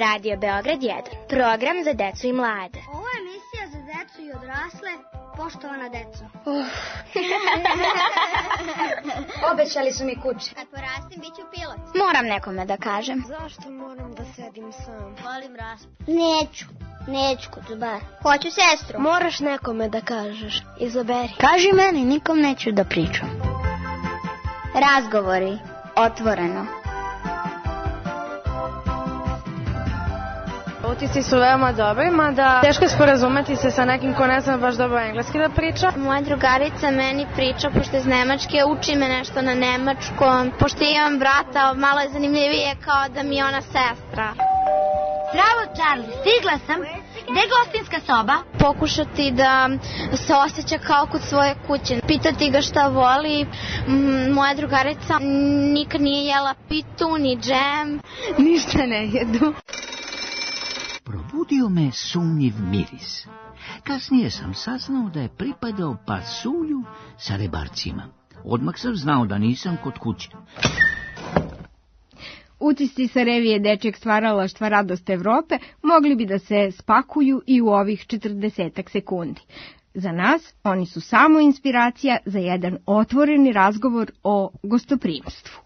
Radio Beograd 1, program za decu i mlade. Ovo je emisija za decu i odrasle, poštovana deco. Obećali su mi kuće. Kad porastim, bit ću pilot. Moram nekome da kažem. Zašto moram da sedim sam? Volim raspad. Neću kod bar. Hoću sestru. Moraš nekome da kažeš. Izaberi. Kaži meni, nikom neću da pričam. Razgovori, otvoreno. Utisci su veoma dobri, mada teško je sporazumeti se sa nekim ko ne zna baš dobro engleski da priča. Moja drugarica meni priča, pošto je iz Nemačke, uči me nešto na nemačkom. Pošto imam brata, malo je zanimljivije kao da mi je ona sestra. Zdravo, Charlie, stigla sam. Gde je gostinska soba? Pokušati da se osjeća kao kod svoje kuće. Pitati ga šta voli. Moja drugarica nikad nije jela pitu, ni džem. Ništa ne jedu. Probudio me sumnjiv miris. Kasnije sam saznao da je pripadao pasulju sa rebarcima. Odmah sam znao da nisam kod kuće. Utisci sa revije Dečijeg stvaralaštva Radost Evrope mogli bi da se spakuju i u ovih 40 sekundi. Za nas oni su samo inspiracija za jedan otvoreni razgovor o gostoprimstvu.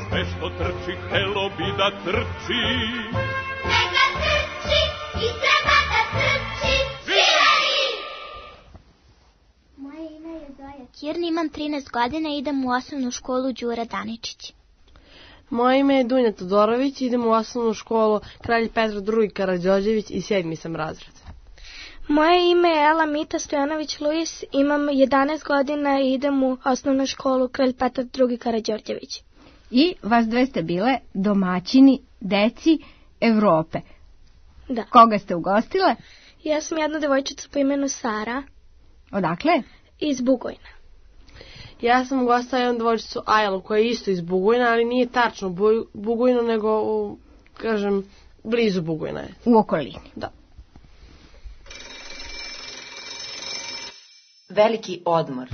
Sve što trči, htelo bi da trči. Neka trči i treba da trči. Moje ime je Zoja Kirni, imam 13 godina i idem u osnovnu školu Đura Daničić. Moje ime je Dunja Todorović, idem u osnovnu školu Kralj Petar II. Karađorđević i 7. sam razred. Moje ime je Ela Mita Stojanović Luis, imam 11 godina i idem u osnovnu školu Kralj Petar II. Karađorđević. I vas dve ste bile domaćini deci Evrope. Da. Koga ste ugostile? Ja sam jedna devojčica po imenu Sara. Odakle? Iz Bugojna. Ja sam ugostila jednu devojčicu Ajlu koja je isto iz Bugojna, ali nije tačno Bugojno, nego blizu Bugojna je. U okolini. Da. Veliki odmor.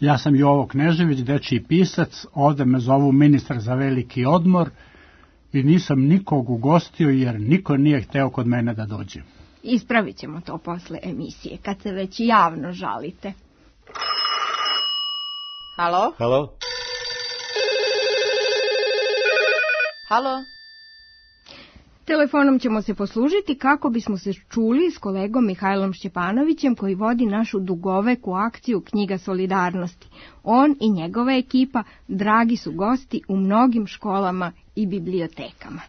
Ja sam Jovo Knežević, dečiji pisac, ovde me zovu ministar za veliki odmor i nisam nikog ugostio jer niko nije hteo kod mene da dođe. Ispravit ćemo to posle emisije, kad se već javno žalite. Halo? Halo? Halo? Telefonom ćemo se poslužiti kako bismo se čuli s kolegom Mihajlom Šćepanovićem koji vodi našu dugoveku akciju Knjiga solidarnosti. On i njegova ekipa dragi su gosti u mnogim školama i bibliotekama.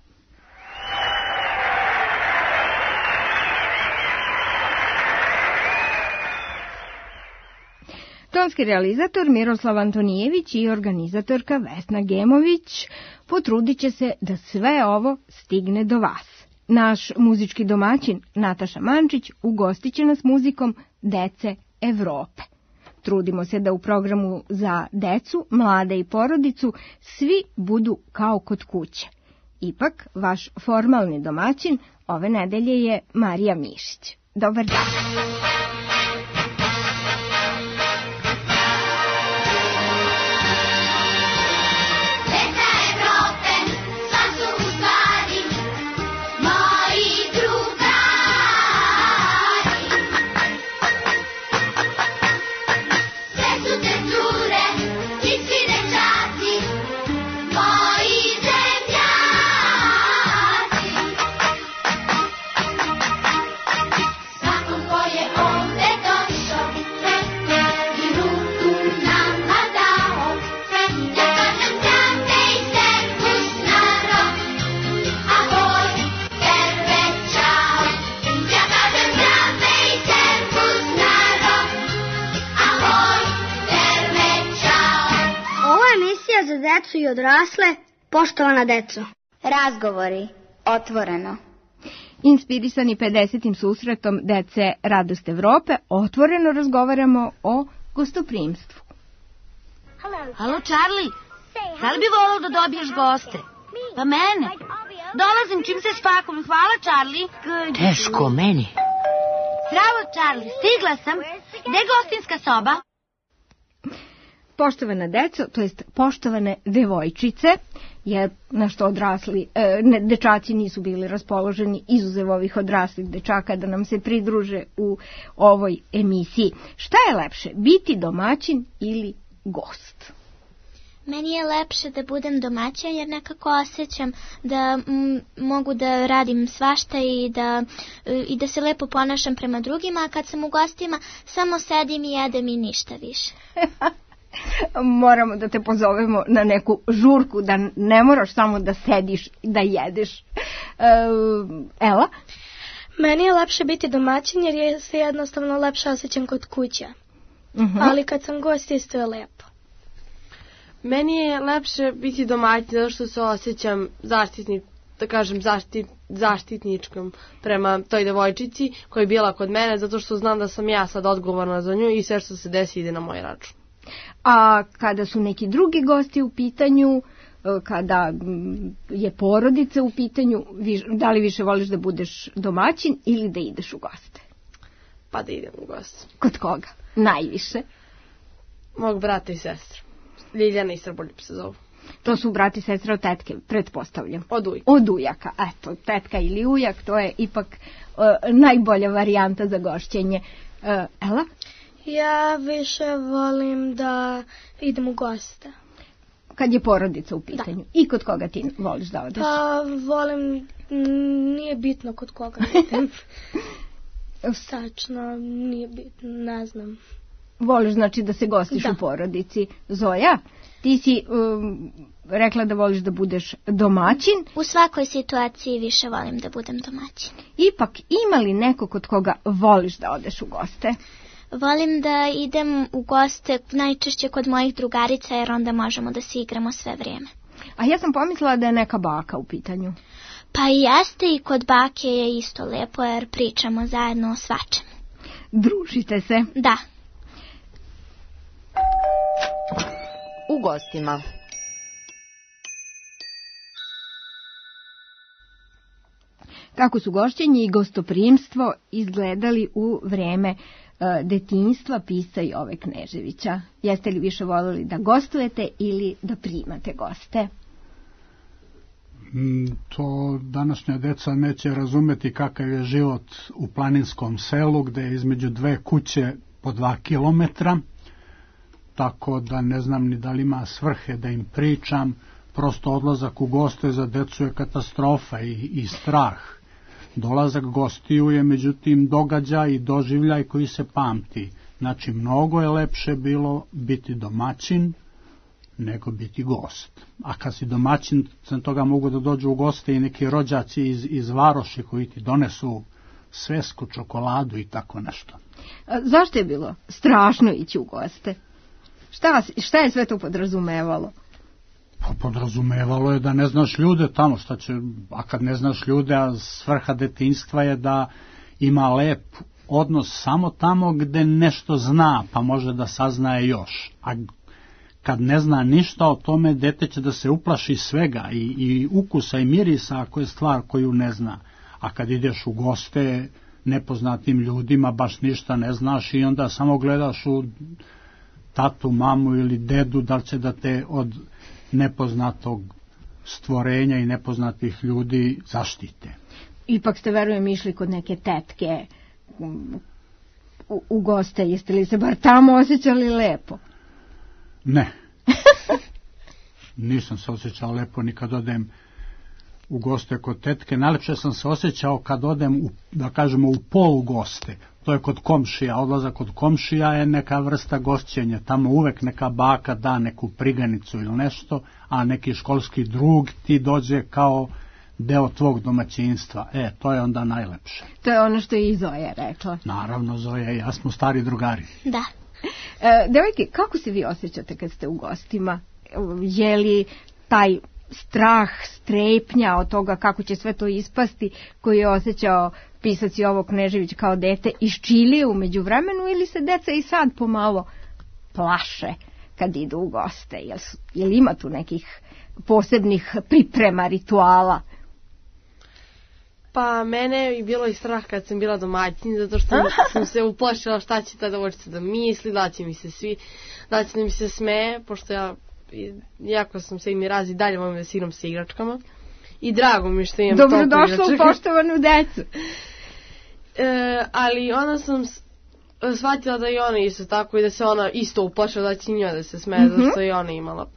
Tonski realizator Miroslav Antonijević i organizatorka Vesna Gemović potrudit će se da sve ovo stigne do vas. Naš muzički domaćin Nataša Mančić ugostit će nas muzikom Dece Evrope. Trudimo se da u programu za decu, mlade i porodicu svi budu kao kod kuće. Ipak, vaš formalni domaćin ove nedelje je Marija Mišić. Dobar dan! Za decu i odrasle, poštovana deco. Razgovori, otvoreno. Inspirisani 50. susretom Dece Radost Evrope, otvoreno razgovaramo o gostoprimstvu. Halo, Charlie, da li bi volao da dobiješ goste? Pa mene. Dolazim čim se spakujem. Hvala, Charlie. Teško meni. Zdravo, Charlie. Stigla sam. Gde je gostinska soba? Poštovana deco, to jest poštovane devojčice, jer na što odrasli dečaci nisu bili raspoloženi, izuzev ovih odraslih dečaka, da nam se pridruže u ovoj emisiji. Šta je lepše, biti domaćin ili gost? Meni je lepše da budem domaćin jer nekako osjećam da mogu da radim svašta i da se lepo ponašam prema drugima, a kad sam u gostima samo sedim i jedem i ništa više. Moramo da te pozovemo na neku žurku, da ne moraš samo da sediš i da jedeš. Ela? Meni je lepše biti domaćin jer se jednostavno lepše osjećam kod kuća. Ali kad sam gost isto je lepo. Meni je lepše biti domaćin zato što se osjećam zaštitničkom prema toj devojčici koja je bila kod mene, zato što znam da sam ja sad odgovorna za nju i sve što se desi ide na moj račun. A kada su neki drugi gosti u pitanju, kada je porodica u pitanju, da li više voliš da budeš domaćin ili da ideš u goste? Pa da idem u goste. Kod koga? Najviše? Mog brata i sestra. Ljiljana i Srboljub se zovu. To su brat i sestra od tetke, pretpostavljam. Od ujaka. Od ujaka, eto, tetka ili ujak, to je ipak najbolja varijanta za gošćenje. Ela? Ja više volim da idem u goste. Kad je porodica u pitanju. Da. I kod koga ti voliš da odeš? Pa volim, nije bitno kod koga idem. Sačno, nije bitno, ne znam. Voliš znači da se gostiš u porodici. Zoja, ti si rekla da voliš da budeš domaćin. U svakoj situaciji više volim da budem domaćin. Ipak ima li neko kod koga voliš da odeš u goste? Volim da idem u goste najčešće kod mojih drugarica jer onda možemo da se igramo sve vrijeme. A ja sam pomislila da je neka baka u pitanju. Pa i jeste i kod bake je isto lepo jer pričamo zajedno o svačem. Družite se? Da. U gostima. Kako su gošćenje i gostoprimstvo izgledali u vreme detinjstva pisca Jove Kneževića? Jeste li više voljeli da gostujete ili da primate goste? To današnja deca neće razumeti kakav je život u planinskom selu gde je između dve kuće po 2 kilometra, tako da ne znam ni da li ima svrhe da im pričam. Prosto odlazak u goste za decu je katastrofa i strah. Dolazak gostiju je međutim događaj i doživljaj koji se pamti. Znači mnogo je lepše bilo biti domaćin nego biti gost. A kad si domaćin, sem toga mogu da dođu u goste i neki rođaci iz varoši koji ti donesu svesku, čokoladu i tako nešto. Zašto je bilo strašno ići u goste? Šta je sve to podrazumevalo? Pa podrazumevalo je da ne znaš ljude tamo, šta će, a kad ne znaš ljude, a svrha detinjstva je da ima lep odnos samo tamo gde nešto zna, pa može da saznaje još. A kad ne zna ništa o tome, dete će da se uplaši svega i ukusa i mirisa ako je stvar koju ne zna. A kad ideš u goste nepoznatim ljudima, baš ništa ne znaš i onda samo gledaš u tatu, mamu ili dedu da li će da te od nepoznatog stvorenja i nepoznatih ljudi zaštite. Ipak ste, verujem, išli kod neke tetke u goste. Jeste li se bar tamo osjećali lepo? Ne. Nisam se osjećao lepo ni kad odem u goste kod tetke. Najlepše sam se osjećao kad odem, da kažemo, u polugoste. To je kod komšija. Odlazak kod komšija je neka vrsta gošćenja. Tamo uvek neka baka da neku priganicu ili nešto, a neki školski drug ti dođe kao deo tvog domaćinstva. To je onda najlepše. To je ono što je i Zoja rekla. Naravno, Zoja i ja smo stari drugari. Da. Devojke, kako se vi osjećate kad ste u gostima? Je li taj strah, strepnja od toga kako će sve to ispasti koji je osjećao pisac Jovo Knežević kao dete isčilio umeđu vremenu, ili se deca i sad pomalo plaše kad idu u goste? Jel ima tu nekih posebnih priprema, rituala? Pa mene je bilo i strah kad sam bila domaćin, zato što sam se uplašila šta će ta devojčica da misli, da će mi se smeje, pošto jako sam se im razi dalje volim da se igram sa igračkama. I drago mi što imam toliko igračaka. Dobrodošla u poštovanu decu. Ali onda sam shvatila da i ona isto tako i da se ona isto uplašila da će njoj da se smeje, zato što je ona imala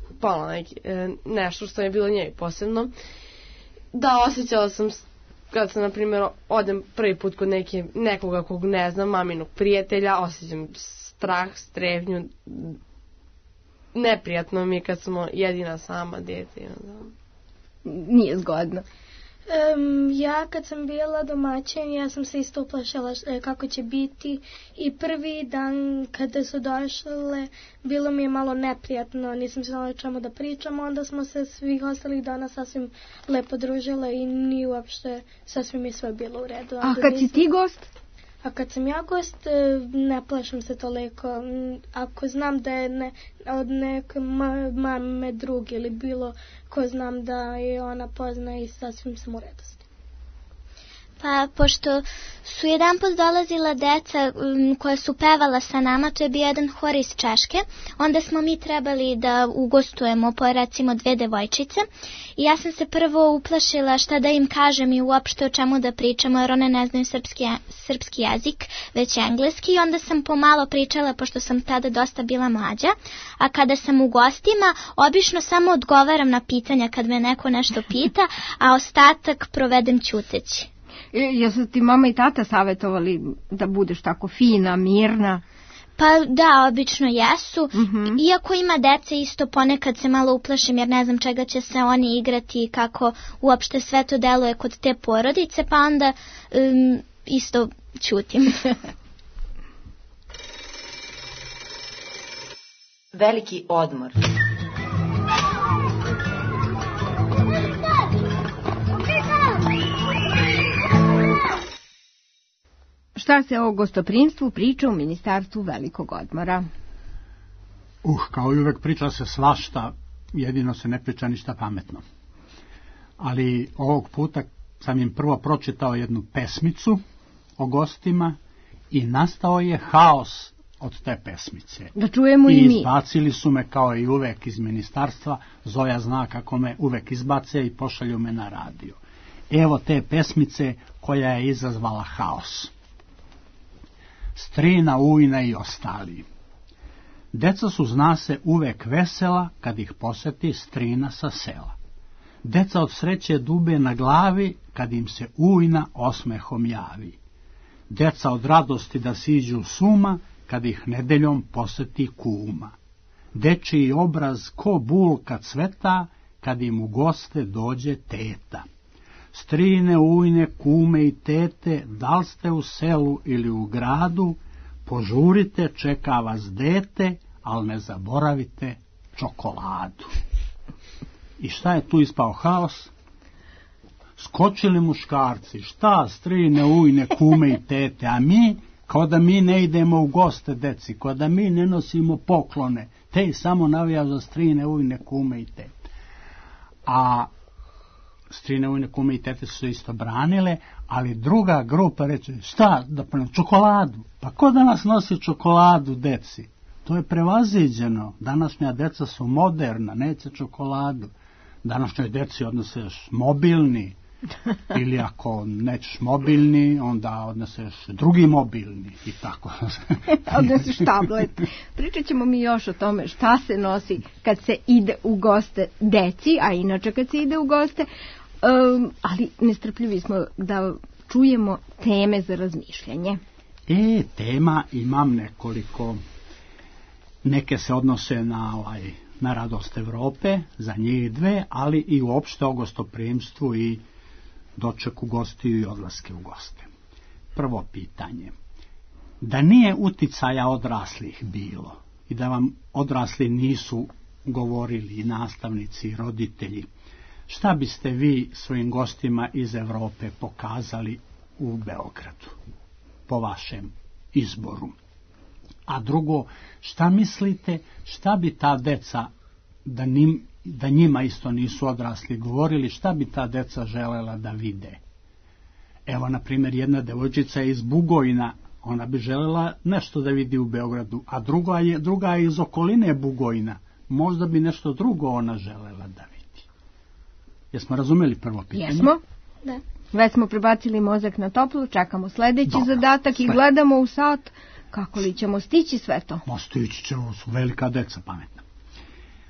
nešto što je bilo njej posebno. Da, osjećala sam kad sam, na primjer, odem prvi put kod nekoga kog ne znam, maminog prijatelja, osjećam strah, strepnju. Neprijatno mi je kad smo jedina sama dete. Nije zgodno. Ja kad sam bila domaćin, ja sam se isto uplašala kako će biti i prvi dan kada su došle bilo mi je malo neprijatno, nisam znala o čemu da pričam, onda smo se svih ostalih dana sasvim lepo družile i ni uopšte sasvim je sve bilo u redu. A kad si ti gost? A kad sam ja gost, ne plašim se toliko. Ako znam da je od neke mame drugi ili bilo ko znam da je ona pozna i sasvim sam u redosti. Pa, pošto su jedan put dolazila deca koja su pevala sa nama, to je bio jedan hor iz Češke, onda smo mi trebali da ugostujemo po recimo 2 devojčice i ja sam se prvo uplašila šta da im kažem i uopšte o čemu da pričamo, jer one ne znaju srpski jezik, već engleski, i onda sam pomalo pričala, pošto sam tada dosta bila mlađa, a kada sam u gostima, obično samo odgovaram na pitanja kad me neko nešto pita, a ostatak provedem ćuteći. Jesu ti mama i tata savjetovali da budeš tako fina, mirna? Pa da, obično jesu. Iako ima dece, isto ponekad se malo uplašim jer ne znam čega će se oni igrati i kako uopšte sve to deluje kod te porodice, pa onda isto ćutim. Veliki odmor. Šta se o gostoprimstvu priča u Ministarstvu velikog odmora? Kao i uvek priča se svašta, jedino se ne priča ništa pametno. Ali ovog puta sam im prvo pročitao jednu pesmicu o gostima i nastao je haos od te pesmice. Da čujemo i mi. I izbacili su me kao i uvek iz ministarstva. Zoja zna kako me uvek izbace i pošalju me na radio. Evo te pesmice koja je izazvala haos. Strina, ujna i ostali. Deca su, zna se, uvek vesela kad ih poseti strina sa sela. Deca od sreće dube na glavi kad im se ujna osmehom javi. Deca od radosti da siđu suma kad ih nedeljom poseti kuma. Dečiji obraz ko bulka cveta kad im u goste dođe teta. Strine, ujne, kume i tete, da li ste u selu ili u gradu, požurite, čeka vas dete, ali ne zaboravite čokoladu. I šta je tu ispao haos? Skočili muškarci, šta strine, ujne, kume i tete, a mi, kao da mi ne idemo u goste deci, kao da mi ne nosimo poklone, te samo navija za strine, ujne, kume i tete. A strine, ujne, kume i tete su isto branile, ali druga grupa reče, šta da ponemo, čokoladu, pa ko da nas nosi čokoladu deci? To je prevaziđeno, današnja deca su moderna, neće čokoladu. Današnjoj deci odnoseš mobilni, ili ako nećeš mobilni, onda odneseš drugi mobilni i tako. Odneseš tablet. Pričat ćemo mi još o tome šta se nosi kad se ide u goste deci, a inače kad se ide u goste, ali nestrpljivi smo da čujemo teme za razmišljanje. Tema imam nekoliko. Neke se odnose na radost Evrope, za njih 2, ali i uopšte o gostoprimstvu i dočeku gostiju i odlaske u goste. Prvo pitanje. Da nije uticaja odraslih bilo i da vam odrasli nisu govorili i nastavnici i roditelji, šta biste vi svojim gostima iz Evrope pokazali u Beogradu po vašem izboru? A drugo, šta mislite, šta bi ta deca, da njima isto nisu odrasli govorili, šta bi ta deca želela da vide? Evo, na primjer, jedna devojčica je iz Bugojna, ona bi želela nešto da vidi u Beogradu, a druga je iz okoline Bugojna, možda bi nešto drugo ona želela da vidi. Jesmo razumeli prvo pitanje? Jesmo. Da. Već smo prebacili mozak na toplu, čekamo sljedeći zadatak i gledamo u sat kako li ćemo stići sve to. Stići ćemo, su velika deca pametna.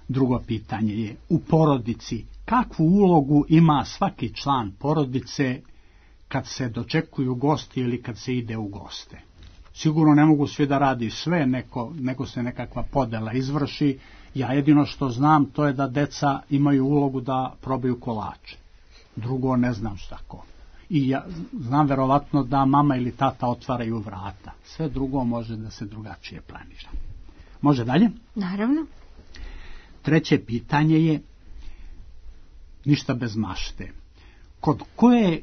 Drugo pitanje je, u porodici, kakvu ulogu ima svaki član porodice kad se dočekuju gosti ili kad se ide u goste? Sigurno ne mogu svi da radi sve, nego se nekakva podela izvrši. Ja jedino što znam to je da deca imaju ulogu da probaju kolače. Drugo ne znam šta ko. I ja znam verovatno da mama ili tata otvaraju vrata. Sve drugo može da se drugačije planira. Može dalje? Naravno. Treće pitanje je, ništa bez mašte. Kod koje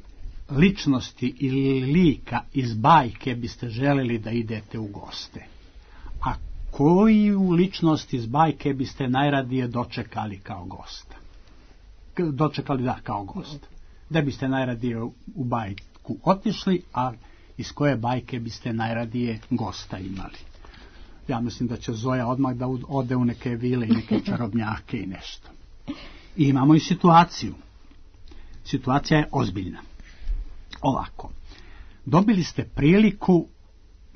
ličnosti ili lika iz bajke biste želeli da idete u goste? A koju ličnost iz bajke biste najradije dočekali kao gosta? Kao gost. Da biste najradije u bajku otišli, a iz koje bajke biste najradije gosta imali? Ja mislim da će Zoja odmah da ode u neke vile i neke čarobnjake i nešto. I imamo i situaciju. Situacija je ozbiljna. Ovako, dobili ste priliku,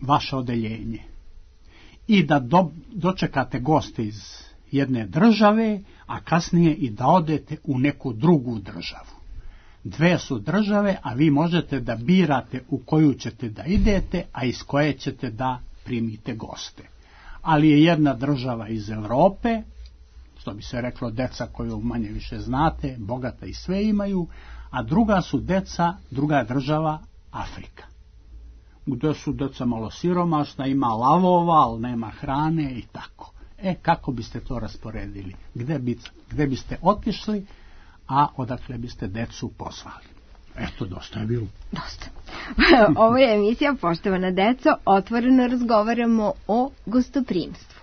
vaše odeljenje, i da dočekate goste iz jedne države, a kasnije i da odete u neku drugu državu. Dve su države, a vi možete da birate u koju ćete da idete, a iz koje ćete da primite goste. Ali je jedna država iz Europe, što bi se reklo deca koju manje više znate, bogata i sve imaju, a druga država Afrika, gdje su deca malo siromašna, ima lavova, ali nema hrane i tako. Kako biste to rasporedili? Gde biste otišli, a odakle biste decu pozvali? Eto, dosta je bilo. Dosta. Ovo je emisija, poštovana deco, otvoreno razgovaramo o gostoprimstvu.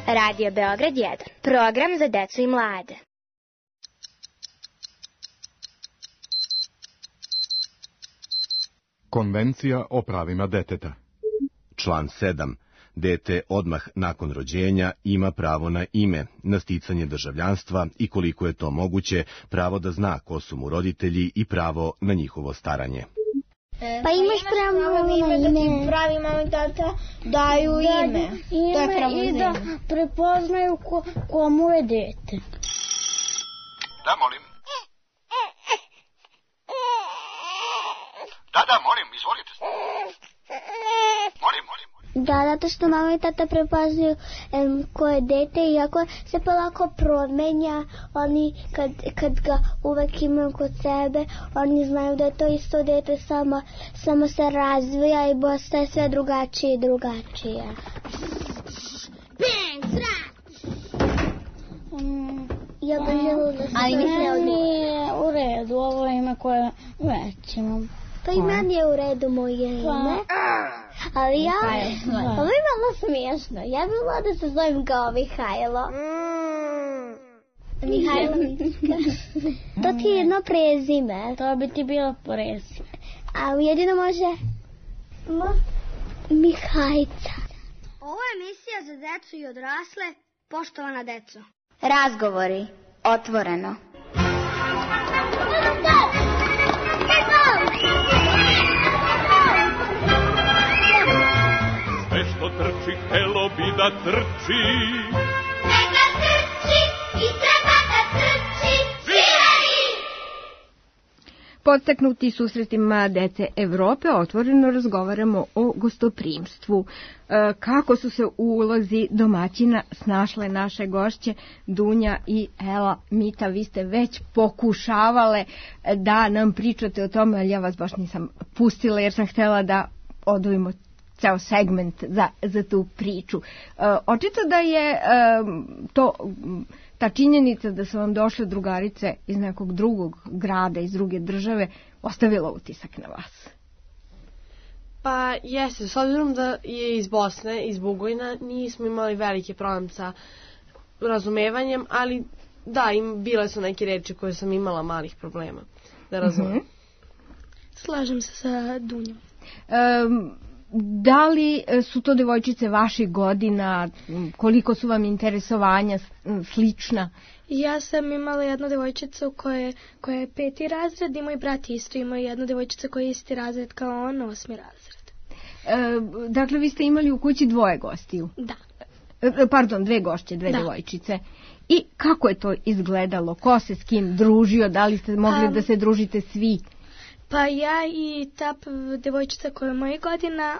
Radio Beograd 1. Program za decu i mlade. Konvencija o pravima deteta. Član 7. Dete odmah nakon rođenja ima pravo na ime, na sticanje državljanstva i koliko je to moguće, pravo da zna ko su mu roditelji i pravo na njihovo staranje. Pa imaš pravo na ime. Da ti pravi mama i tata daju ime. To je pravo i da prepoznaju komu je dete. Da, molim. Da, molim, izvolite. Molim. Da, zato što mama i tata prepoznaju ko je dete, iako se polako promenja, oni kad ga uvek imaju kod sebe, oni znaju da je to isto dete, samo se razvija i postaje sve drugačije i drugačije. Ja bih želila da se nije u redu, ovo je ime koje već imam. Pa i meni je u redu moje ime. Ali ovo je malo smiješno. Ja bih volila da se zovem kao Mihajlo. Mihajlovićka. To ti je jedno prezime. To bi ti bilo prezime. A jedino može Mihajca. Ovo je emisija za decu i odrasle. Poštovana deco. Razgovori. Otvoreno. Sve što trči, htelo bi da trči. Neka trči i treba da trči. Sviraj! Podstaknuti susretima dece Evrope otvoreno razgovaramo o gostoprimstvu. Kako su se u ulozi domaćina snašle naše gošće Dunja i Ela. Mita, vi ste već pokušavale da nam pričate o tome, ali ja vas baš nisam pustila jer sam htjela da odvojimo ceo segment za tu priču. Očito da je ta činjenica da su vam došle drugarice iz nekog drugog grada, iz druge države, ostavila utisak na vas. Pa jeste, s obzirom da je iz Bosne, iz Bugojna, nismo imali velike problem sa razumevanjem, ali da, bile su neke reči koje sam imala malih problema da razumem. Slažem se sa Dunjom. Da li su to devojčice vaših godina, koliko su vam interesovanja slična? Ja sam imala jednu devojčicu koja je 5. razred i moj brat isto ima jednu devojčicu koja je isti razred kao on, 8. razred. Dakle, vi ste imali u kući 2 gostiju? Da. Pardon, 2 gošće, 2 devojčice. I kako je to izgledalo? Ko se s kim družio? Da li ste mogli da se družite svi? Pa ja i ta devojčica koja je moja godina,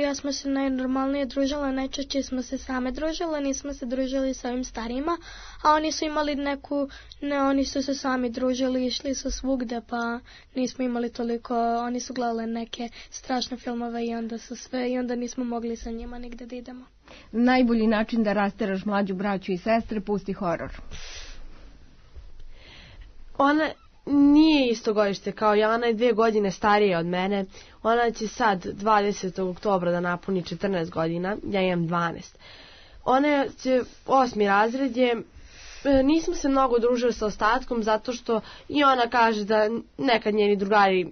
ja smo se najnormalnije družile, najčešće smo se same družile, nismo se družili sa ovim starijima, a oni su imali oni su se sami družili, išli su svugde, pa nismo imali toliko, oni su gledali neke strašne filmove i onda nismo mogli sa njima nigde da idemo. Najbolji način da rasteraš mlađu braću i sestre, pusti horor. Ona nije isto godište kao ja, ona je 2 godine starija od mene. Ona će sad 20. oktobra da napuni 14 godina, ja imam 12. Ona će 8. razred je, nismo se mnogo družili sa ostatkom zato što i ona kaže da nekad njeni drugari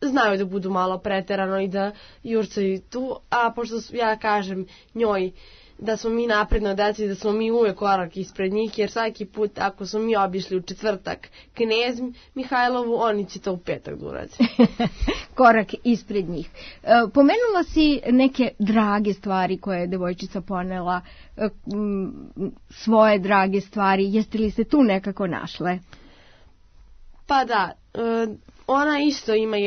znaju da budu malo preterano i da jurcaju tu, a pošto ja kažem njoj da smo mi napredno deci, da smo mi uvek korak ispred njih, jer svaki put ako smo mi obišli u četvrtak Knez Mihajlovu, oni će to u petak da uradi. Korak ispred njih. Pomenula si neke drage stvari koje je devojčica ponela, svoje drage stvari, jeste li se tu nekako našle? Pa da, ona isto ima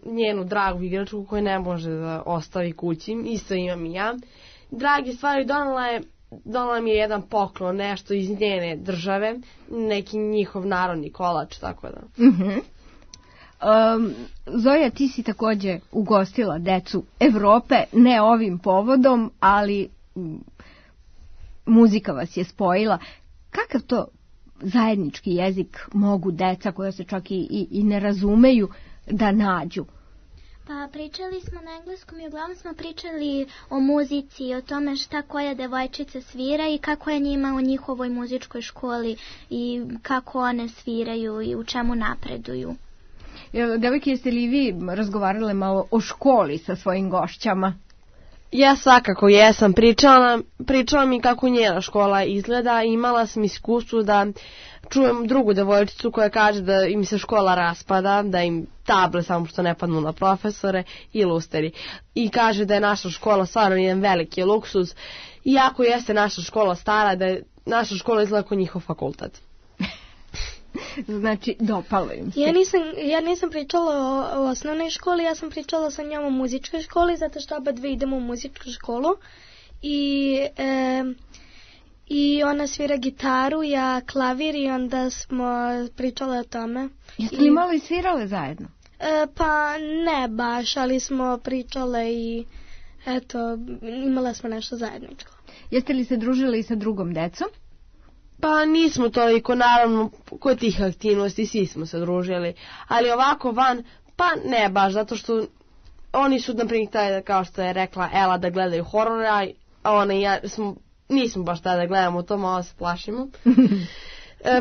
njenu dragu igračku koju ne može da ostavi kući, isto imam i ja. Drage stvari donala mi je jedan poklon, nešto iz njene države, neki njihov narodni kolač, tako da. Zoja, ti si također ugostila decu Evrope, ne ovim povodom, ali muzika vas je spojila. Kakav to zajednički jezik mogu deca koja se čak i ne razumeju da nađu? Pa pričali smo na engleskom i uglavnom smo pričali o muzici i o tome šta koja devojčica svira i kako je njima u njihovoj muzičkoj školi i kako one sviraju i u čemu napreduju. Devojke, jeste li vi razgovarale malo o školi sa svojim gošćama? Ja svakako jesam. Pričala mi kako njena škola izgleda. Imala sam iskustvo da čujem drugu devojčicu koja kaže da im se škola raspada, da im table samo što ne padnu na profesore i lusteri. I kaže da je naša škola stvarno jedan veliki luksuz. Iako jeste naša škola stara, da je naša škola izgleda kao njihov fakultet. Znači, dopalo im se. Ja nisam pričala o osnovnoj školi, ja sam pričala sa njom o muzičkoj školi, zato što oba dve idemo u muzičku školu. I ona svira gitaru, ja klavir i onda smo pričale o tome. Jeste li malo i svirale zajedno? Pa ne baš, ali smo pričale i eto, imala smo nešto zajedničko. Jeste li se družili i sa drugom decom? Pa nismo toliko, naravno, kod tih aktivnosti svi smo se družili, ali ovako van, pa ne baš, zato što oni su naprimjer, kao što je rekla Ela, da gledaju horora, a ona i ja nismo baš tada da gledamo to, malo se plašimo.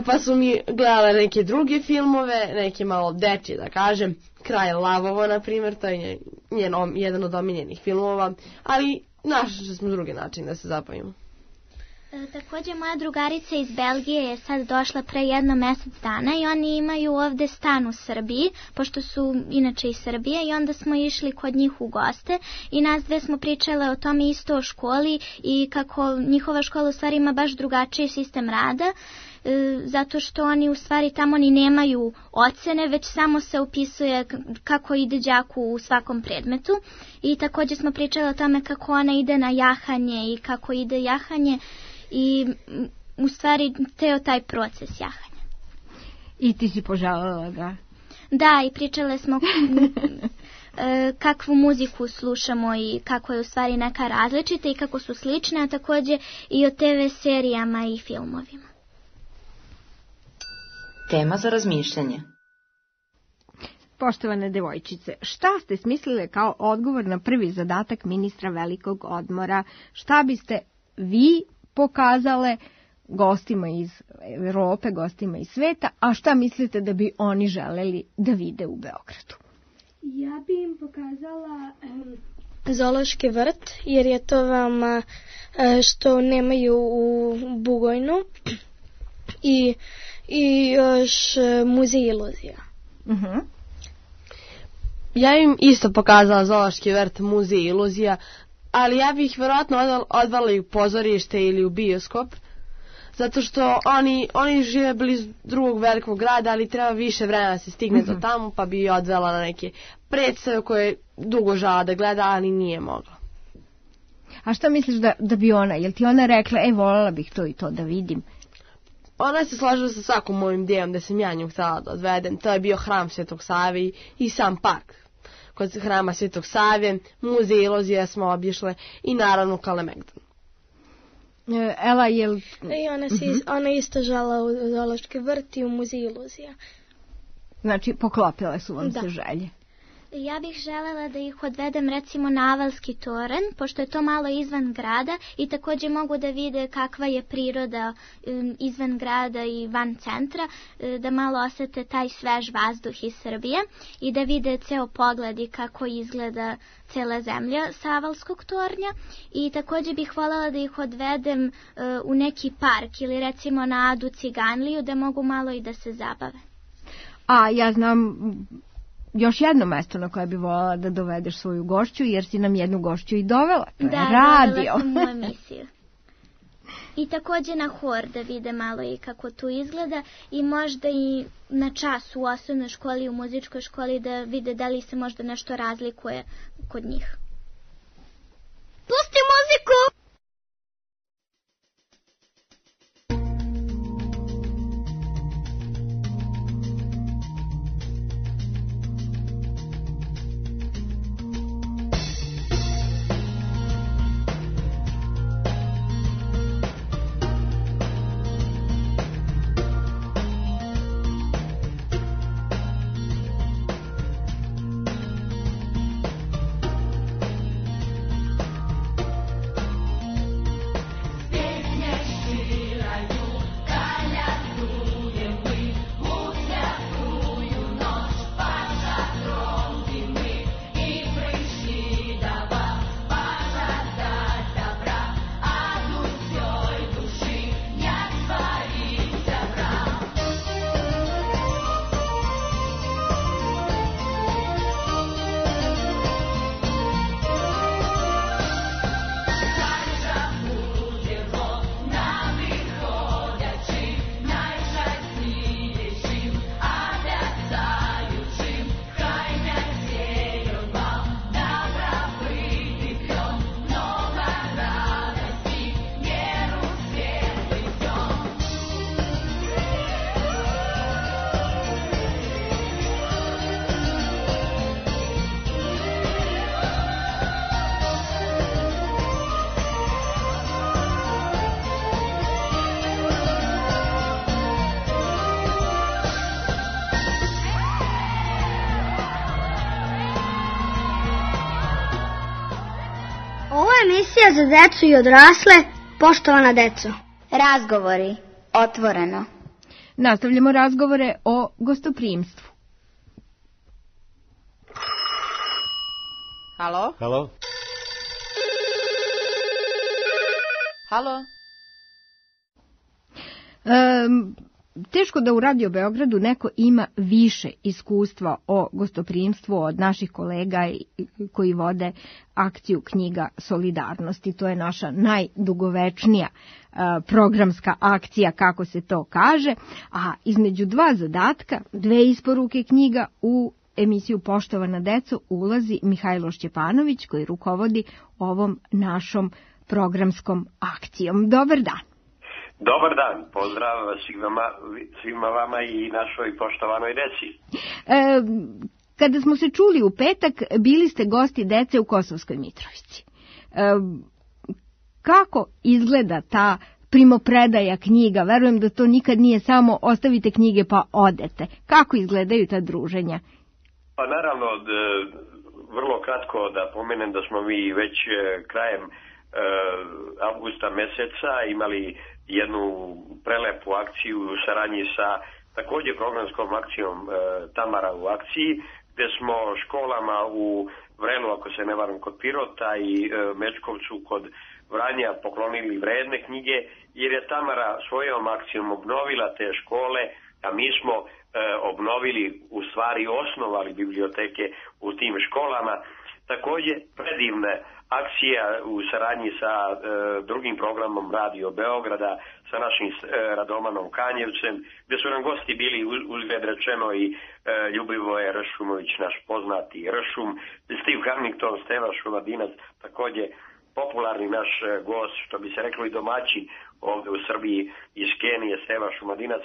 Pa su mi gledale neke druge filmove, neke malo dečje, da kažem, Kralj lavova, na primjer, to je jedan od omiljenih filmova, ali našli smo drugi način da se zapojimo. Također moja drugarica iz Belgije je sad došla pre 1 mjesec dana i oni imaju ovde stan u Srbiji, pošto su inače iz Srbije, i onda smo išli kod njih u goste i nas dve smo pričale o tome isto o školi i kako njihova škola u stvari ima baš drugačiji sistem rada, zato što oni u stvari tamo ni nemaju ocene, već samo se upisuje kako ide đaku u svakom predmetu. I također smo pričale o tome kako ona ide na jahanje i kako ide jahanje i u stvari teo taj proces jahanja. I ti si poželjela ga? Da, i pričale smo kakvu muziku slušamo i kako je u stvari neka različita i kako su slične, a također i o TV serijama i filmovima. Tema za razmišljanje. Poštovane devojčice, šta ste smislile kao odgovor na prvi zadatak ministra velikog odmora? Šta biste vi pokazale gostima iz Evrope, gostima iz sveta, a šta mislite da bi oni želeli da vide u Beogradu? Ja bi im pokazala zoološki vrt, jer je to veoma što nemaju u Bugojnu, i još muzej iluzija. Ja im isto pokazala zoološki vrt, muzej iluzija, ali ja bih vjerojatno odvala i u pozorište ili u bioskop, zato što oni žive blizu drugog velikog grada, ali treba više vremena da se stigne do tamo, pa bi odvela na neke predstave koje dugo žala da gleda, ali nije mogla. A šta misliš da bi ona, jel ti ona rekla, voljela bih to i to da vidim? Ona se slažila sa svakom mojim idejom da sam ja nju htjela da odvedem. To je bio hram Svetog Save i sam park kod hrama Svetog Save, muzej iluzija smo obišle i naravno Kalemegdan. Ela, jel... Ona isto žala u zoološki vrt i u muzej iluzija. Znači, poklopile su vam se želje. Ja bih želela da ih odvedem recimo na Avalski toranj, pošto je to malo izvan grada i također mogu da vide kakva je priroda izvan grada i van centra, da malo osete taj svež vazduh iz Srbije i da vide ceo pogled i kako izgleda cela zemlja sa Avalskog tornja. I također bih voljela da ih odvedem u neki park ili recimo na Adu Ciganliju, da mogu malo i da se zabave. A ja znam još jedno mesto na koje bi voljela da dovedeš svoju gošću, jer si nam jednu gošću i dovela. To je radio. Da, dovela sam u emisiju. I također na hor da vide malo i kako tu izgleda i možda i na čas u osnovnoj školi, u muzičkoj školi da vide da li se možda nešto razlikuje kod njih. Pusti muziku! emisija za decu i odrasle, poštovana deco. Razgovori, otvoreno. Nastavljamo razgovore o gostoprimstvu. Halo? Halo? Halo? Teško da u Radio Beogradu neko ima više iskustva o gostoprimstvu od naših kolega koji vode akciju Knjiga solidarnosti. To je naša najdugovečnija programska akcija, kako se to kaže, a između dva zadatka, dve isporuke knjiga u emisiju Poštovana deco ulazi Mihajlo Šćepanović koji rukovodi ovom našom programskom akcijom. Dobar dan. Dobar dan, pozdrav svima vama i našoj poštovanoj deci. Kada smo se čuli u petak, bili ste gosti dece u Kosovskoj Mitrovici. Kako izgleda ta primopredaja knjiga? Verujem da to nikad nije samo ostavite knjige pa odete. Kako izgledaju ta druženja? Pa naravno, vrlo kratko da pomenem da smo mi već krajem avgusta meseca imali jednu prelepu akciju u saradnji sa također programskom akcijom Tamara u akciji, gdje smo školama u Vrelu, ako se ne varam, kod Pirota i Mečkovcu kod Vranja poklonili vredne knjige, jer je Tamara svojom akcijom obnovila te škole, a mi smo obnovili, u stvari osnovali biblioteke u tim školama. Također predivna akcija u saradnji sa drugim programom Radio Beograda, sa našim Radomanom Kanjevcem, gdje su nam gosti bili uzgled rečeno i Ljubivoje Ršumović, naš poznati Ršum, Steve Harmington, Steva Šumadinac, također popularni naš gost, što bi se reklo i domaćin ovdje u Srbiji iz Kenije, Steva Šumadinac.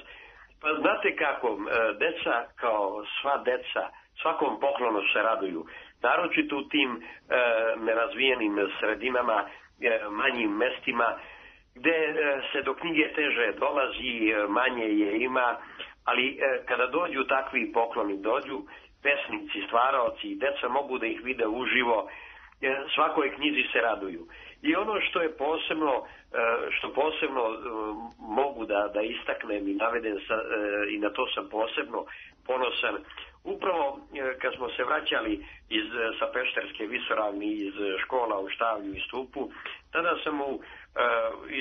Pa znate kako, deca kao sva deca, svakom poklonu se raduju. Naročito u tim nerazvijenim sredinama, manjim mestima, gdje se do knjige teže dolazi, manje je ima, ali kada dođu takvi pokloni, dođu pesnici, stvaraoci, deca mogu da ih vide uživo, svakoj knjizi se raduju. I ono što je posebno, što posebno mogu da istaknem i navedem i na to sam posebno ponosan, upravo kad smo se vraćali sa Pešterske visoravni, iz škola u Štavlju i Stupu, tada sam u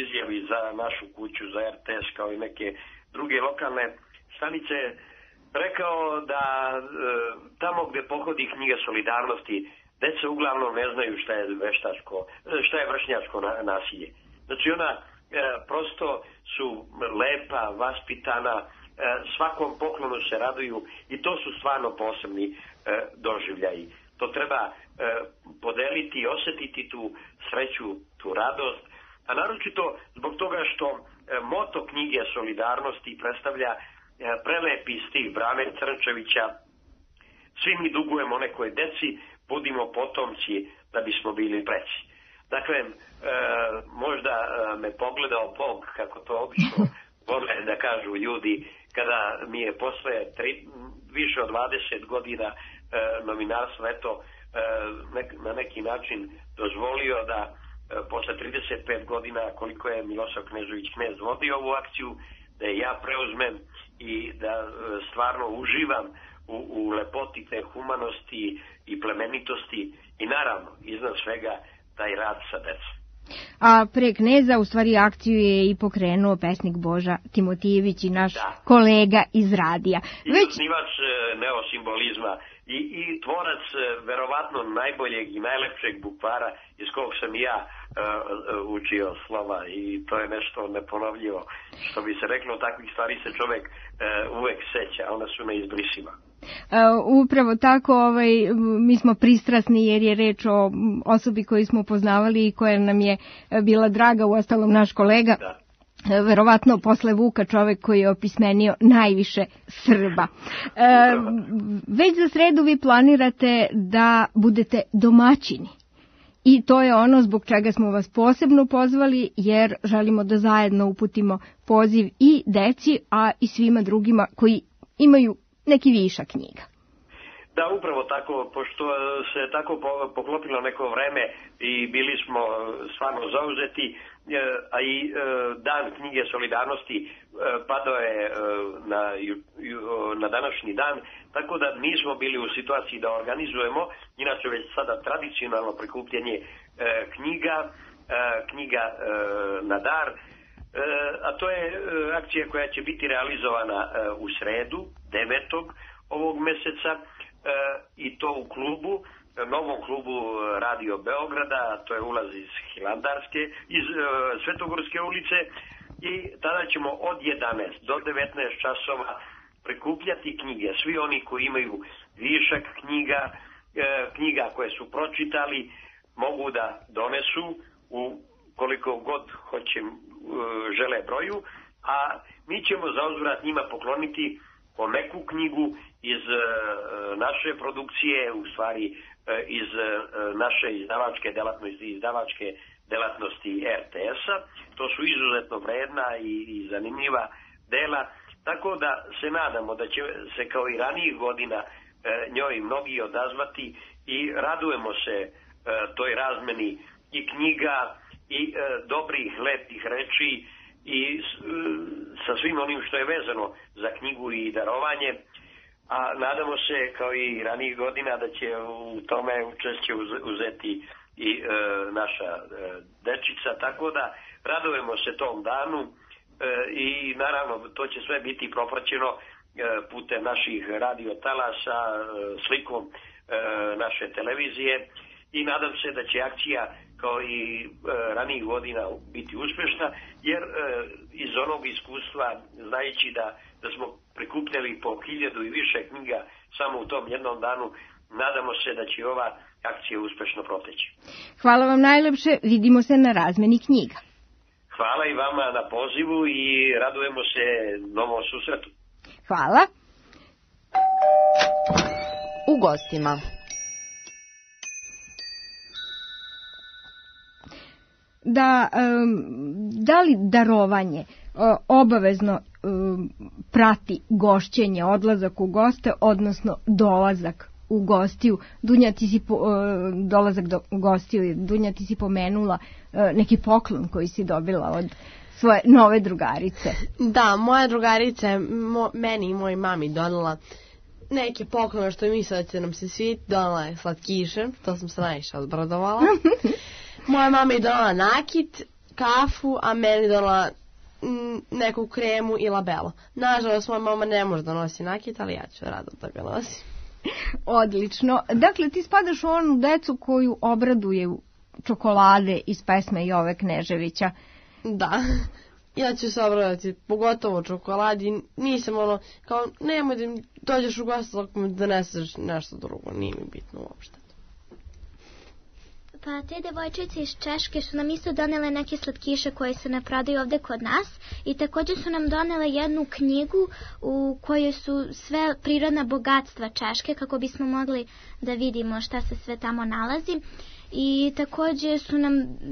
izjavi za našu kuću, za RTS kao i neke druge lokalne stanice rekao da tamo gdje pohodi Knjiga solidarnosti, deca uglavnom ne znaju šta je vršnjačko nasilje. Znači ona prosto su lepa, vaspitana, svakom poklonu se raduju i to su stvarno posebni doživljaji. To treba podeliti i osjetiti tu sreću, tu radost, a naročito zbog toga što moto Knjige solidarnosti predstavlja prelepi stil Brane Crnčevića. Svi mi dugujemo nekoj deci, budimo potomci da bismo bili preci. Dakle, možda me pogledao Bog, kako to obično vole da kažu ljudi, kada mi je posle više od 20 godina novinarstva na neki način dozvolio da posle 35 godina, koliko je Milosav Knežević Knez vodio ovu akciju, da je ja preuzmem i da stvarno uživam u lepoti te humanosti i plemenitosti i naravno iznad svega taj rad sa decom. A pre Kneza u stvari akciju je i pokrenuo pesnik Boža Timotijević i naš kolega iz radija. I osnivač neosimbolizma i tvorac verovatno najboljeg i najlepšeg bukvara iz kog sam i ja učio slova i to je nešto neponovljivo. Što bi se reklo, takvih stvari se čovjek uvek seća, ona su neizbrisiva. Upravo tako, mi smo pristrasni jer je reč o osobi koju smo poznavali i koja nam je bila draga, uostalom naš kolega. Da. Verovatno posle Vuka čovek koji je opismenio najviše Srba. Već za sredu vi planirate da budete domaćini. I to je ono zbog čega smo vas posebno pozvali, jer želimo da zajedno uputimo poziv i deci, a i svima drugima koji imaju neki višak knjiga. Da, upravo tako, pošto se tako poklopilo neko vreme i bili smo stvarno zauzeti, a i dan knjige solidarnosti padao je na današnji dan, tako da nismo bili u situaciji da organizujemo, inače već sada tradicionalno prikupljanje knjiga na dar, a to je akcija koja će biti realizovana u sredu, 9. ovog meseca, i to u klubu, novom klubu Radio Beograda, to je ulaz iz Hilandarske, iz Svetogorske ulice, i tada ćemo od 11 do 19 časova prikupljati knjige. Svi oni koji imaju višak knjiga koje su pročitali, mogu da donesu u koliko god žele broju, a mi ćemo zauzvrat njima pokloniti po neku knjigu iz naše produkcije, u stvari iz naše izdavačke delatnosti RTS-a. To su izuzetno vredna i zanimljiva dela, tako da se nadamo da će se kao i ranijih godina njoj mnogi odazvati i radujemo se toj razmeni i knjiga i dobrih, lepih reči i sa svim onim što je vezano za knjigu i darovanje, a nadamo se kao i ranijih godina da će u tome učešće uzeti i naša dečica, tako da radujemo se tom danu i naravno to će sve biti propraćeno putem naših radiotalasa, slikom naše televizije i nadam se da će akcija kao i ranijih godina biti uspješna, jer iz onog iskustva, znajući da smo prikupljali po 1000 i više knjiga samo u tom jednom danu, nadamo se da će ova akcija uspješno proteći. Hvala vam najlepše, vidimo se na razmeni knjiga. Hvala i vama na pozivu i radujemo se novom susretu. Hvala. U gostima. Da li darovanje obavezno prati gošćenje, odlazak u goste, odnosno dolazak u gostiju? Dunja, ti si dolazak u gostiju, Dunja, ti si pomenula neki poklon koji si dobila od svoje nove drugarice. Da, moja drugarica je meni i mojoj mami donela neke poklone što je mislila da će nam se svijeti, donela je slatkiše, to sam se najviše odbradovala. Moja mama je donela nakit, kafu, a meni donela neku kremu i labelo. Nažalost, moja mama ne može da nosi nakit, ali ja ću rado da ga nosim. Odlično. Dakle, ti spadaš u onu decu koju obraduju čokolade iz pesme Jove Kneževića. Da, ja ću se obradati, pogotovo čokoladi. Nisam kao, nemoj da mi dođeš u gostu dok mi doneseš nešto drugo, nije mi bitno uopšte. Pa te devojčice iz Češke su nam isto donele neke slatkiše koje se ne prodaju ovde kod nas i također su nam donele jednu knjigu u kojoj su sve prirodna bogatstva Češke, kako bismo mogli da vidimo šta se sve tamo nalazi. I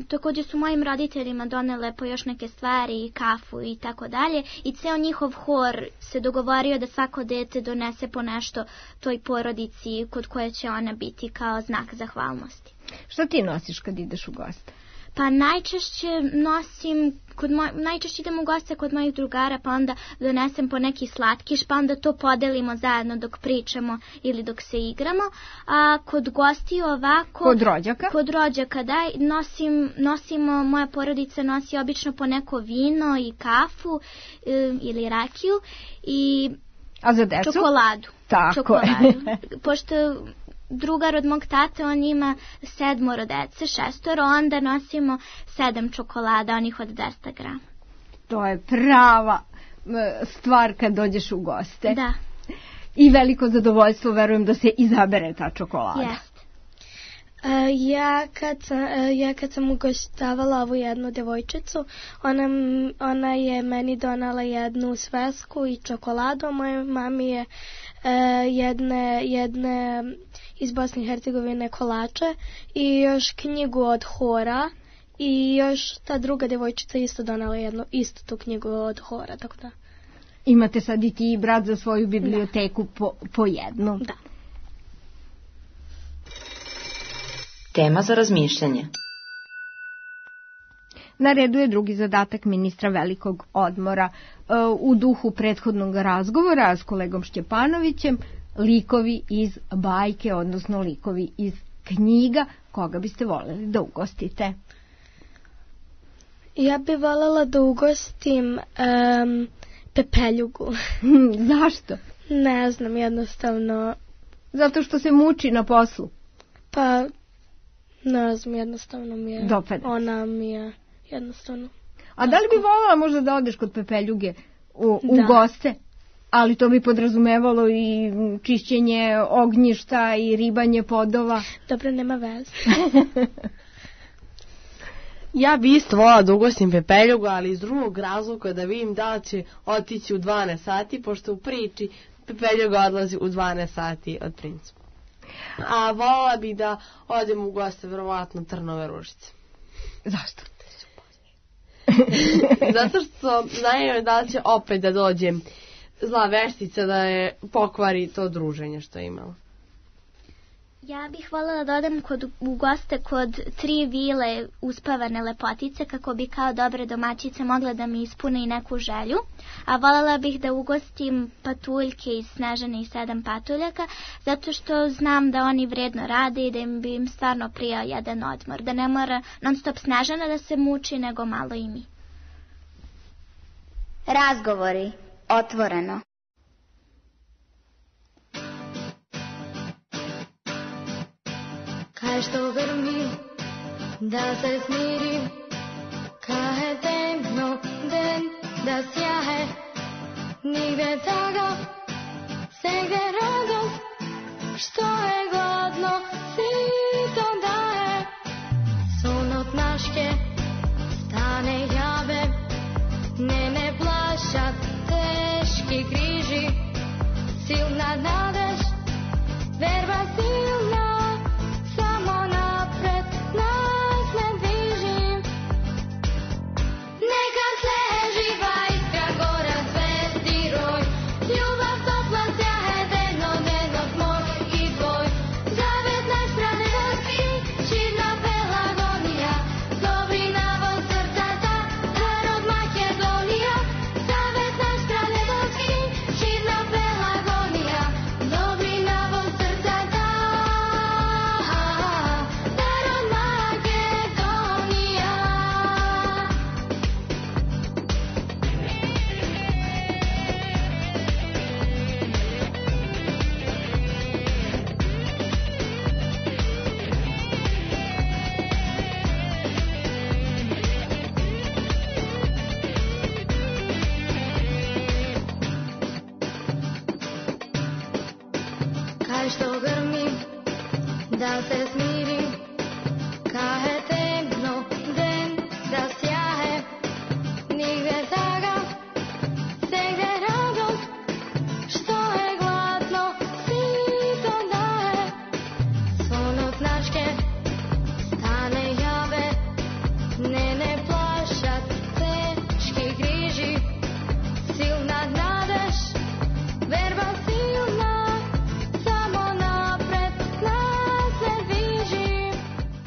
također su mojim roditeljima donele po još neke stvari, kafu i tako dalje, i ceo njihov hor se dogovorio da svako dete donese po nešto toj porodici kod koje će ona biti kao znak zahvalnosti. Šta ti nosiš kad ideš u goste? Pa najčešće najčešće idem u goste kod mojih drugara, pa onda donesem po neki slatkiš, pa onda to podelimo zajedno dok pričamo ili dok se igramo. A kod gostiju ovako... Kod rođaka? Kod rođaka, da. Nosimo, moja porodica nosi obično po neko vino i kafu ili rakiju i... A za decu? Čokoladu. Tako čokoladu. Pošto... drugar od mog tate, on ima 7 dece, 6, onda nosimo 7 čokolada, onih od 200 grama. To je prava stvar kad dođeš u goste. Da. I veliko zadovoljstvo, verujem, da se izabere ta čokolada. Jeste. Ja kad sam ugoštavala ovu jednu devojčicu, ona je meni donala jednu svesku i čokoladu, a mojoj mami je jedne iz Bosne i Hercegovine kolače i još knjigu od hora i još ta druga devojčica isto donala istu tu knjigu od hora, tako da. Imate sad i ti i brat za svoju biblioteku po jednu. Da. Tema za razmišljanje. Na redu je drugi zadatak ministra velikog odmora. U duhu prethodnog razgovora s kolegom Šćepanovićem, likovi iz bajke, odnosno likovi iz knjiga, koga biste voljeli da ugostite? Ja bih voljela da ugostim Pepeljugu. Zašto? Ne znam, jednostavno. Zato što se muči na poslu? Pa, ne znam, jednostavno mi je. Dopada. Ona mi je jednostavno. A da li bi voljela možda da odeš kod Pepeljuge u goste? Ali to bi podrazumevalo i čišćenje ognjišta i ribanje podova. Dobro, nema veze. Ja bi isto volila da ugostim Pepeljugu, ali iz drugog razloga da vidim da li će otići u 12 sati, pošto u priči Pepeljuga odlazi u 12 sati od princu. A volila bi da odem u goste, verovatno, Trnove Ružice. Zašto? Zato što znaju da li će opet da dođe zla veštica da je pokvari to druženje što je imala. Ja bih voljela da odem u goste kod 3 vile uspavane lepotice kako bi kao dobre domaćice mogle da mi ispune i neku želju. A voljela bih da ugostim patuljke iz Snežane i 7 patuljaka zato što znam da oni vredno rade i da bi im stvarno prijao jedan odmor. Da ne mora non stop Snežana da se muči nego malo i mi. Razgovori. Otvoreno. Kaj što grmi, da se smirim, kaj je temno den, da sjahe, nigde toga, segde radost, što je godno, svi to daje. Sun od naške, stane jave, ne plašat, teški križi, silna nadeš, verba silna.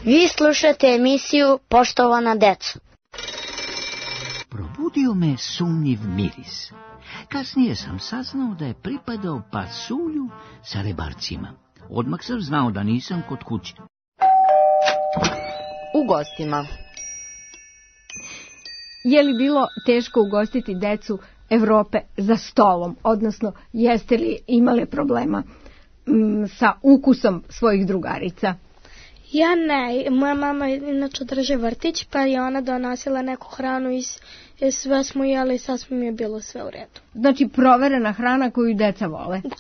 Vi slušate emisiju Poštovana deco. Probudio me sumnjiv miris. Kasnije sam saznao da je pripadao pasulju sa rebarcima. Odmah sam znao da nisam kod kuće. U gostima. Je li bilo teško ugostiti decu Evrope za stolom? Odnosno, jeste li imali problema sa ukusom svojih drugarica? Ja ne, moja mama inače drži vrtić, pa je ona donosila neku hranu i sve smo jeli i sasvim je bilo sve u redu. Znači proverena hrana koju deca vole? Da.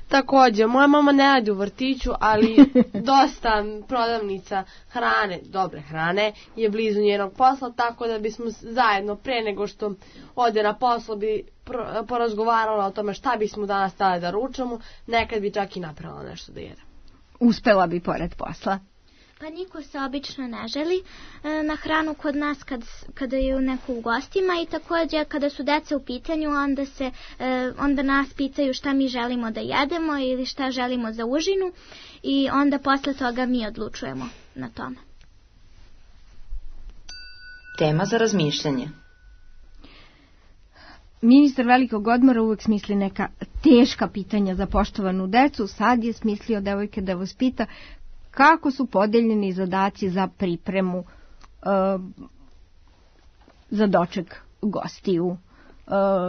Također, moja mama ne radi u vrtiću, ali dosta prodavnica hrane, dobre hrane, je blizu njenog posla, tako da bismo zajedno pre nego što ode na posao bi porazgovarala o tome šta bismo danas stali da ručamo, nekad bi čak i napravila nešto da jede. Uspela bi pored posla. Pa niko se obično ne želi na hranu kod nas kada je neko u gostima i također kada su deca u pitanju onda nas pitaju šta mi želimo da jedemo ili šta želimo za užinu i onda posle toga mi odlučujemo na tome. Tema za razmišljanje. Ministar velikog odmora uvek smisli neka teška pitanja za poštovanu decu. Sad je smislio devojke da vas pita kako su podeljeni zadaci za pripremu za doček gostiju.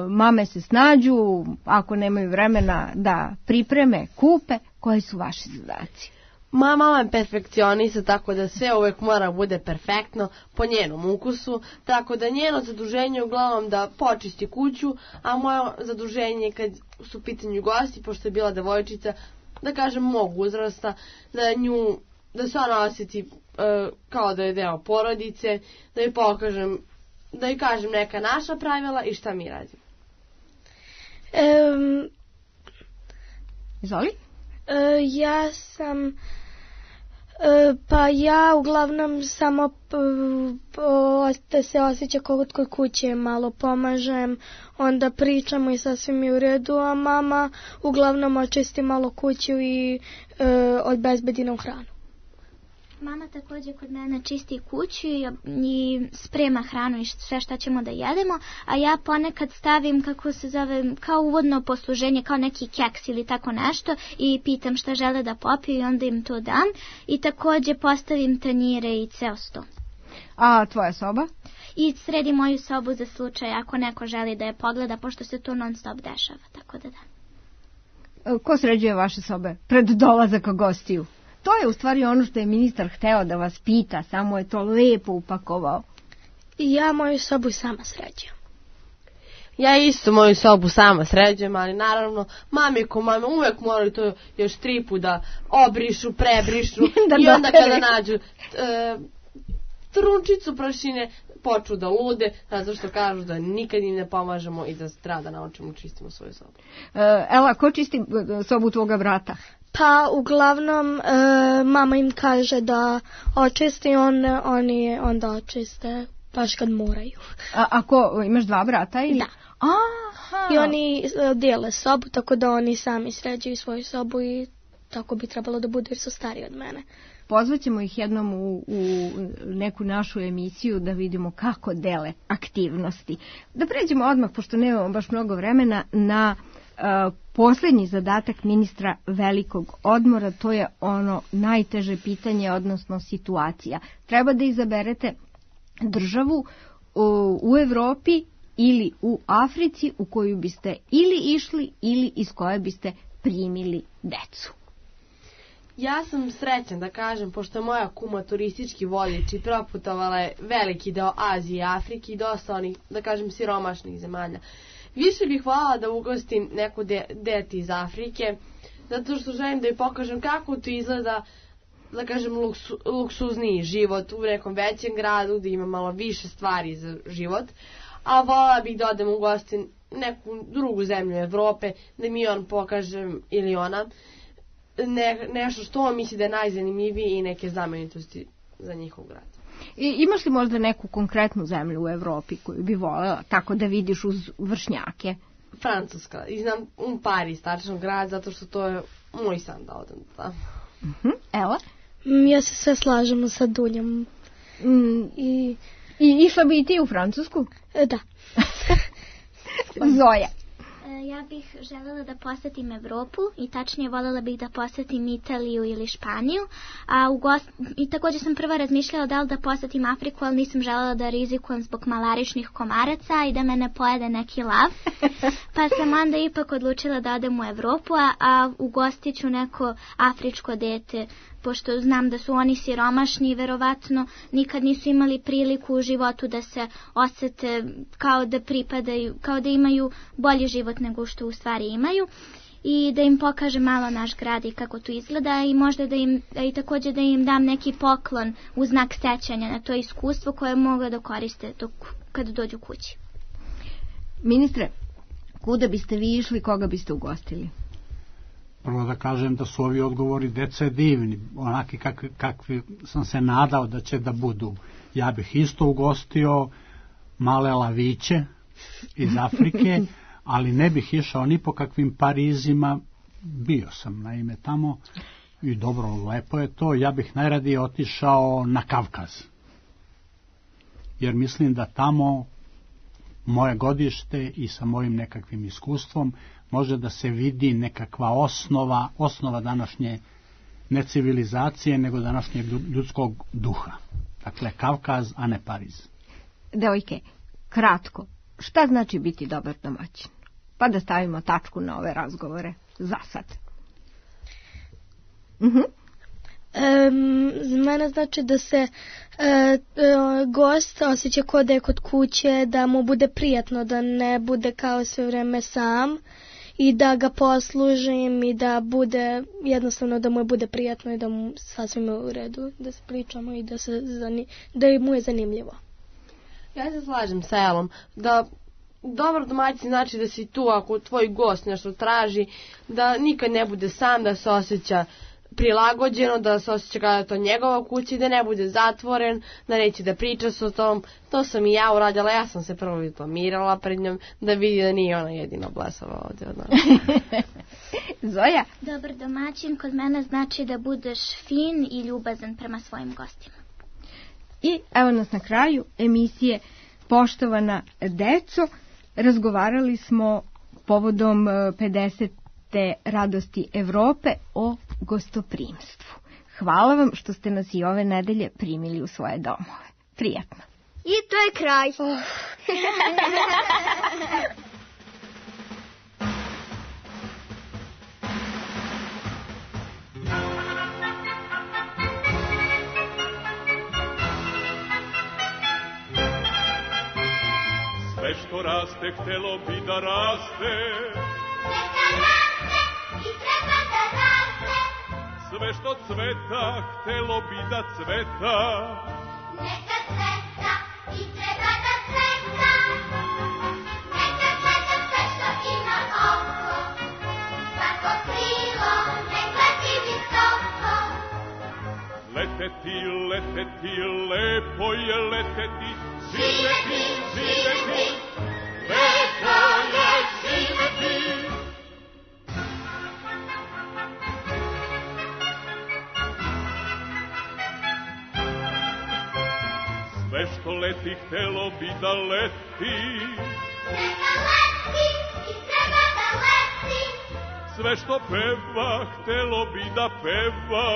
Mame se snađu, ako nemaju vremena da pripreme, kupe. Koji su vaši zadaci? Moja mama je perfekcionista, tako da sve uvek mora bude perfektno po njenom ukusu, tako da njeno zaduženje je uglavnom da počisti kuću, a moje zaduženje kad su u pitanju gosti, pošto je bila devojčica, da kažem mog uzrasta, da se ona osjeti kao da je deo porodice, da joj pokažem, da joj kažem neka naša pravila i šta mi radimo. Izvoli? Ja sam pa ja uglavnom samo da se osjeća kod kuće malo pomažem, onda pričamo i sasvim je u redu, a mama uglavnom očisti malo kuću i obezbedi nam hranu. Mama također kod mene čisti kuću i sprema hranu i sve šta ćemo da jedemo, a ja ponekad stavim, kako se zove, kao uvodno posluženje, kao neki keks ili tako nešto i pitam šta žele da popiju i onda im to dam i također postavim tanjire i ceo sto. A tvoja soba? I sredim moju sobu za slučaj ako neko želi da je pogleda, pošto se to non stop dešava, tako da da. Ko sređuje vaše sobe pred dolazak gostiju? To je u stvari ono što je ministar hteo da vas pita, samo je to lepo upakovao. Ja moju sobu sama sređujem. Ja isto moju sobu sama sređujem, ali naravno mame uvek moraju to još 3 puta da obrišu, prebrišu i onda kada nađu trunčicu prašine počnu da lude, zato što kažu da nikad im ne pomažemo i da treba da naučimo čistimo svoju sobu. Ela, ko čisti sobu tvoga brata? Pa uglavnom mama im kaže da očisti, oni onda očiste baš kad moraju. A ko, imaš 2 brata ili? Da. Aha. I oni dijele sobu, tako da oni sami sređuju svoju sobu i tako bi trebalo da bude jer su stariji od mene. Pozvaćemo ih jednom u neku našu emisiju da vidimo kako dele aktivnosti. Da pređemo odmah, pošto nemamo baš mnogo vremena, na posljednji zadatak ministra velikog odmora, to je ono najteže pitanje, odnosno situacija. Treba da izaberete državu u Evropi ili u Africi u koju biste ili išli ili iz koje biste primili decu. Ja sam srećan da kažem, pošto je moja kuma turistički vodič i proputovala je veliki deo Azije i Afrike i dosta onih, da kažem, siromašnih zemalja. Više bih voljela da ugostim neku dete iz Afrike, zato što želim da joj pokažem kako to izgleda, da kažem, luksuzniji život u nekom većem gradu, da ima malo više stvari za život, a voljela bih da odem ugostim neku drugu zemlju Evrope, da mi on pokaže ili ona nešto što on misli da je najzanimljiviji i neke znamenitosti za njihov grad. Imaš li možda neku konkretnu zemlju u Evropi koju bi voljela tako da vidiš uz vršnjake? Francuska. I znam Pariz, tačno grad, zato što to je moj san da odem tamo. Ela? Ja se sve slažemo sa Dunjom. I išla bi i ti u Francusku? Da. Zoja. Ja bih željela da posetim Evropu i tačnije voljela bih da posetim Italiju ili Španiju, i također sam prvo razmišljala da li da posetim Afriku, ali nisam željela da rizikujem zbog malaričnih komaraca i da me ne pojede neki lav, pa sam onda ipak odlučila da odem u Evropu, a ugostit ću neko afričko dete, pošto znam da su oni siromašni i verovatno nikad nisu imali priliku u životu da se osjete kao da pripadaju, kao da imaju bolji život nego što u stvari imaju, i da im pokažem malo naš grad i kako to izgleda i možda i također da im dam neki poklon u znak sećanja na to iskustvo koje mogu da koriste kad dođu kući. Ministre, kuda biste vi išli, koga biste ugostili? Prvo da kažem da su ovi odgovori dece divni, onaki kakvi sam se nadao da će da budu. Ja bih isto ugostio male laviće iz Afrike, ali ne bih išao ni po kakvim Parizima. Bio sam naime tamo i dobro, lepo je to. Ja bih najradije otišao na Kavkaz, jer mislim da tamo moje godište i sa mojim nekakvim iskustvom može da se vidi nekakva osnova današnje ne civilizacije, nego današnjeg ljudskog duha. Dakle, Kavkaz, a ne Pariz. Devojke, kratko, šta znači biti dobar domaćin? Pa da stavimo tačku na ove razgovore za sad. Za mene znači da se gost osjeća kao da je kod kuće, da mu bude prijatno, da ne bude kao sve vreme sam i da ga poslužim i da bude jednostavno da mu bude prijatno i da mu sasvim u redu, da se pričamo i da mu je zanimljivo. Ja se slažem sa Elom da dobar domaćin znači da si tu ako tvoj gost nešto traži, da nikad ne bude sam, da se osjeća prilagođeno, da se osjeća kada je to njegova kuća i da ne bude zatvoren, da neće da priča s o tom. To sam i ja uradila, ja sam se prvo diplomirala pred njom da vidi da nije ona jedina blesava ovdje od nas. Zoja? Dobar domaćin kod mene znači da budeš fin i ljubazan prema svojim gostima. I evo nas na kraju emisije Poštovana deco. Razgovarali smo povodom 50. radosti Evrope o gostoprimstvu. Hvala vam što ste nas i ove nedelje primili u svoje domove. Prijatno. I to je kraj. Sve što raste, htelo bi da raste. Neka raste i treba da raste. Sve što cveta, htelo bi da cveta. Neka cveta i treba da cveta. Neka cveta sve što ima oko. Svako krilo nek leti visoko. Leteti, leteti, lepo je leteti. Živeti, živeti, lepo je živeti. Sve što leti, htelo bi da leti. Neka leti i treba da leti. Sve što peva, htelo bi da peva.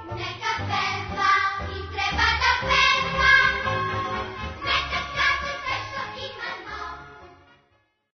Neka peva.